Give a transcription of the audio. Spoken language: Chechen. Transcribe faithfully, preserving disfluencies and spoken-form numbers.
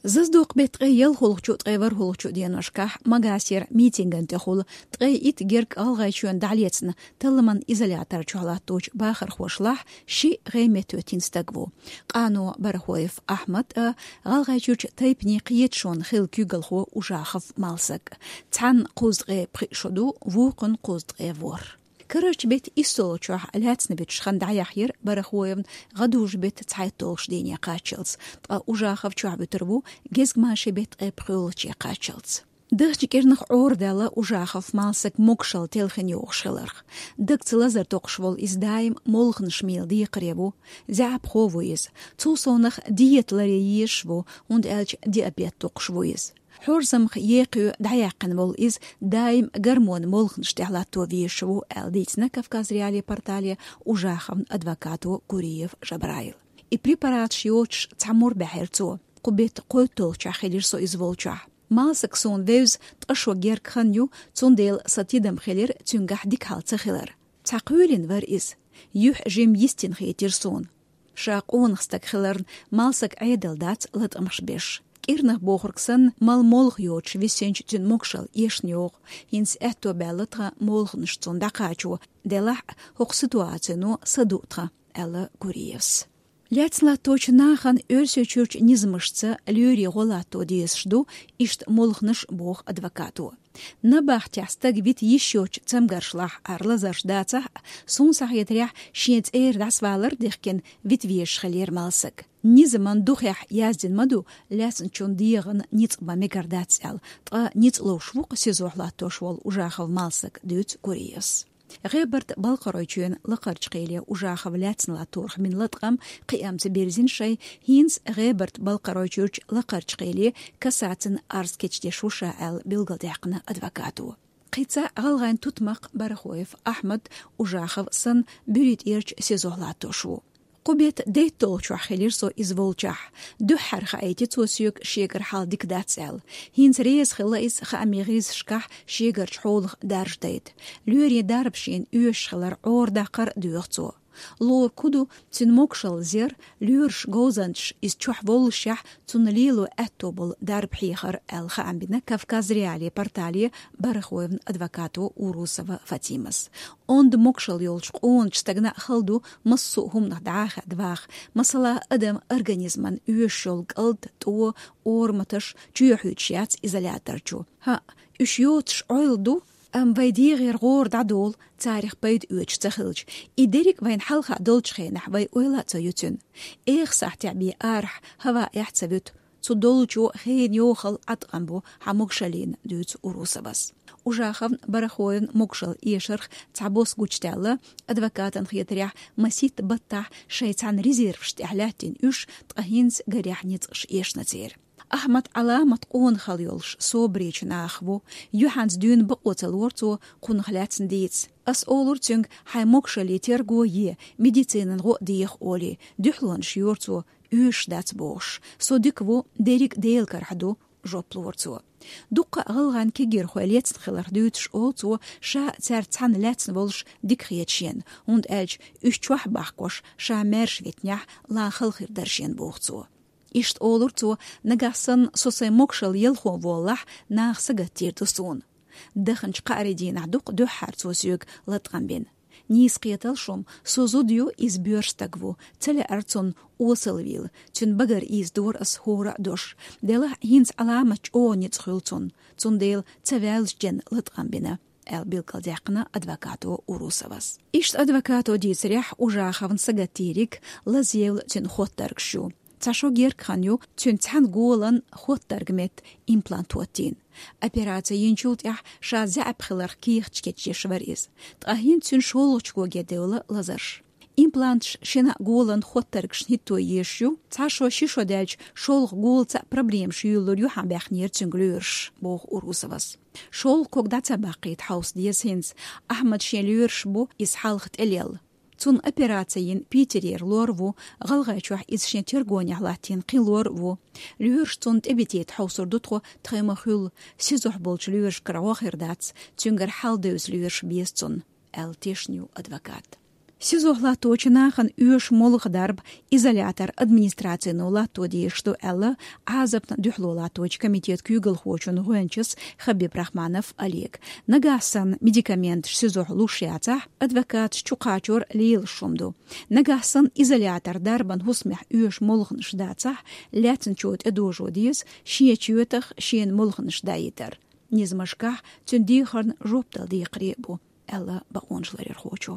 Зазадоккху беттан ткъе ялхалгӀачу, ткъе ворхӀалгӀачу деношкахь Магасера митинган тӀехула ткъе итт герга ГӀалгӀайчоьнна дӀалецна талламан изолятор чохь латточу бахархошлахь ши гӀеметтахӀоьттина стаг ву: къано Барахоев Ахьмад а, ГӀалгӀайчуьрчу тайпанийн кхеташонан хилла куьйгалхо Ужахов Малсаг. Цхьанна кхузткъе пхиъ шо ду, вукхунна кхузткъе ворхӀ. Карарчу беттан иссалгӀачохь лаьцна вуьтуш хан дӀаяхьира Барахоевна гӀадужу беттан цхьайтталгӀачу дийне кхаччалц, ткъа Ужахов чохьавуьтур ву гезгмашин беттан ткъе пхоьалгӀаче кхаччалц. Дахча кӀирнах Ӏорадаьлла Ужахов Малсаг могашалла телхина йогӀуш хиларх. Дагца лазар токхуш волу иза даим молханаш мийла декхаре ву, заьӀапхо ву иза. Цул совнах диета ларъян езаш ву, хӀунда аьлча диабет доккхуш ву иза. Хьорзамах екхо дӀаяьккхина волу иза даим гормон молханаш тӀехь латто везаш ву, аьлла дийцина Кавказ.Реалии портале Ужаховн адвокато Гуриев Жабраила. И препараташ йоцуш цхьа мур баьхьира цо. Кху беттан кхойтталгӀачохь хилира со иза волчохь. Малсаг суна вевза ткъа шо герга хан ю, цундела сан тидам хилира цуьнгахь дика хьал ца хилар. Цхьа кхоьлина вара иза. Юьхь жимма йистина хийтира суна. Ша къонах стаг хиларна, Малсаг Ӏедал дац латкъамаш беш. КӀирнах бохург санна, мала молха йоцуш висинчу цуьнан могашалла эшна йогӀу, хӀинца аьтто баьлла тхан молханаш цунна дӀакхачо, делахь а хӀокху ситуацино са ду тхан, аьлла Гуриевс. Лаьцна латточу нахана Оьрсийчуьрчу низамашца лоьрийн гӀо латто дезаш ду иштта молханаш, боху адвокато. Набахтехь стаг вита йиш йоцчу цамгаршлахь хӀара лазарш дацахь а, суна схьахетарехь, шен цӀера дӀасавалар а дихкина, вита везаш хиллера Малсаг. Низаман духехь яздина ма ду, лаьцначун дегӀан ницкъ бан мегар дац аьлла, ткъа ницкъ ловш ву-кх СИЗО-хь латтош волу Ужахов Малсаг, дуьйцу Гуриевс. ГӀебарта-Балкхаройчоьнан Лакхарчу кхеле Ужахов лаьцна латторах бина латкъам кхиамца бирзина шайн, хӀинца ГӀебарта-Балкхаройчуьрчу Лакхарчу кхеле кассацин арз кечдеш ву ша аьлла билгалдаьккхина адвокато. Кхин цхьа гӀалгӀайн тутмакх Барахоев Ахьмад, Ужахов санна, БуьртӀерчу СИЗО-хь латтош ву. Кху беттан дейтталгӀачохь хилира со иза волчохь. Дуьххьара хаийти цо соьга шегара хьал дика дац аьлла. ХӀинца реза хилла иза хаамийн гӀирсашкахь шегарчу хьолах дарж дайта. Лоьрийн дарба шена оьшуш хилар Ӏорадаккхар а доьху цо. Лору ку ду, цуьнан могашалла зер, лоьраш говзанчаш иза чохь воллушехь, цунна лело аьтто болу дарба хьехар, аьлла хаам бина Кавказ.Реалии портале Барахоевн адвокато Урусова Фатимас. Онда могашалла йолчу къоначу стагана а хала ду массо а хӀуманах дӀахаьдда ваха, масала, адам организман оьшуш йолу кӀалд, тӀо, орматаш чоьхьуьйтуш яц изолятор чу. ХӀаъ, уьш йоцуш Ӏойла ду, амма вай дегӀера гӀора дӀадолу, царах пайда оьцуш ца хилча. И дерриг а вайна хьалха долчу хенахь вай ойла а ца йо цуьнан. Эха сахьтехь бен арахь хӀаваэхь ца вуьту, цу долчо хенан йохалла Ӏаткъам бу хьан могашаллина, дуьйцу Урусовас. Ужаховн, Барахоевн могашалла эшарх цхьа бос гучудаьлла, адвокатан хетарехь, масийтта баттахь шайн цхьана резерваш тӀехь лаьттина уьш, ткъа хӀинца гарехь ницкъаш эшна церан. Ахьмад Ӏаламат къонахалла йолуш собаречу нахах ву, юьхьанца дуьйна бакъо ца лору цо кхунах лаьцна дийца. Ас олура цуьнга, хьайн могашаллин терго е, медицинан гӀо а деха олий, дуьхьалонаш йора цо, оьшуш дац бохуш. Со дика ву, дерриг а Делан карахь ду, жоп лора цо. Дуккха а гӀалгӀайн кегийрхой лецна хиларх дуьйцуш олу цо, ша цаьрца цхьаьна лаьцна волуш дика хета шена, хӀунда аьлча уьш чохь бахкош, ша маьрша витинехь, лан хала хир дара шена, боху цо. Иштта олура цо, нагахь санна со сайн могашалла ялхо воллахь, наха сагатдийр ду суна. Даханчу кхаарин дийнахь дукха дуьххьара цо соьга латкъам бина. Нийса кхеталаш шу, со зуда ю, иза боьрша стаг ву, ца лаьара цунна осалвийла, цуьнан багара ийзадора ас хӀора а дош. Делахь а хӀинца Ӏаламат чӀогӀа ницкъ хуьлу цунна, цундела ца ваьллачу ден латкъам бина, аьлла билгалдаьккхина адвокато Урусовас. Иштта адвокато дийцарехь, Ужаховна сагатдийриг лазъевлла цуьнан хоттаргаш ю. Цхьа шо герга хан ю, цуьнан цхьана голан хоттарга метта имплант хӀоттийна. Операци йинчул тӀаьхьа ша заьӀап хиларх кехаташ кечдеш вара иза. Ткъа хӀинца цуьнан шолгӀачу коге девлла лазарш. Импланташ шина а голан хоттаргашна хӀитто езаш ю, цхьа шо, ши шо даьлча шолгӀа голаца а проблемаш юьйлалур ю хьан баьхнера цуьнга лоьраш, боху Урусовас. ШолгӀа ког дӀа ца баккхийта хьовса деза хӀинца, Ахьмад шен лоьраш бу иза хьалха тӀелелла. Цунна операци йина Питерера лор а ву, ГӀалгӀайчохь иза шен тергонехь латтийна кхин лор а ву. Лоьраш цунна тӀебитийта хьовсур ду тхо, тхайн ма-хуьллу, СИЗО-хь болчу лоьрашкара гӀо хир дац, цуьнгара хьал девза лоьраш беза цунна, аьлла тешна ю адвокат. СИЗО-хь латточу нахана оьшу молха дарба изолятор администрацино латто дезаш ду аьлла, Ӏазапна дуьхьало латточу комитета куьйгалхочун гӀоьнчас Хабиб Рахманов Олега. Нагахь санна медикаменташ СИЗО-хь луш яцахь, адвокаташ чу кхачор лелаш хӀума ду. Нагахь санна изолятор дарбан хӀусамехь оьшу молханаш дацахь, лаьцначо тӀедожо деза шен чоьтах шена молханаш даийтар. Низамашкахь цуьнан дехарна жоп дала декхаре а бу, аьлла бакъонаш ларъярхочо.